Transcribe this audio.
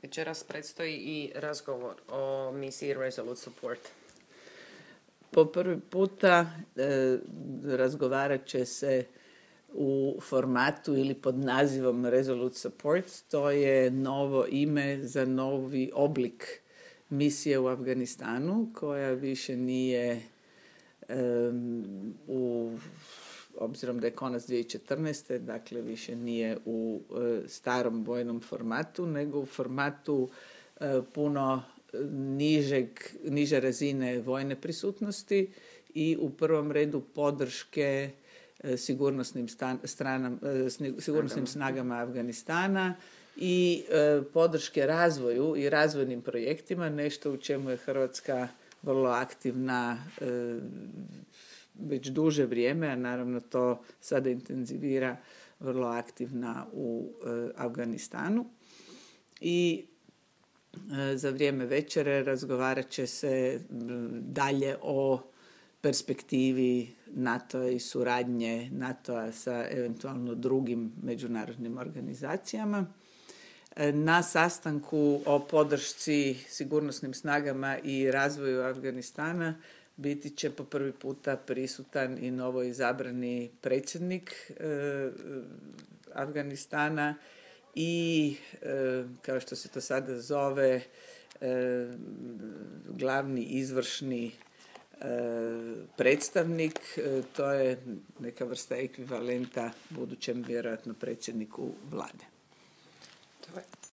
Večeras predstoji i razgovor o misiji Resolute Support. Po prvi puta razgovarat će se u formatu ili pod nazivom Resolute Support. To je novo ime za novi oblik misije u Afganistanu koja više nije obzirom da je konac 2014. dakle više nije u starom vojnom formatu, nego u formatu puno niže razine vojne prisutnosti i u prvom redu podrške sigurnosnim snagama Afganistana i podrške razvoju i razvojnim projektima, nešto u čemu je Hrvatska vrlo aktivna već duže vrijeme, a naravno to sada intenzivira, vrlo aktivna u Afganistanu. I za vrijeme večere razgovarat će se dalje o perspektivi NATO-a i suradnje NATO-a sa eventualno drugim međunarodnim organizacijama. Na sastanku o podršci sigurnosnim snagama i razvoju Afganistana biti će po prvi puta prisutan i novo izabrani predsjednik Afganistana i, kao što se to sada zove, glavni izvršni predstavnik. To je neka vrsta ekvivalenta budućem vjerojatno predsjedniku vlade.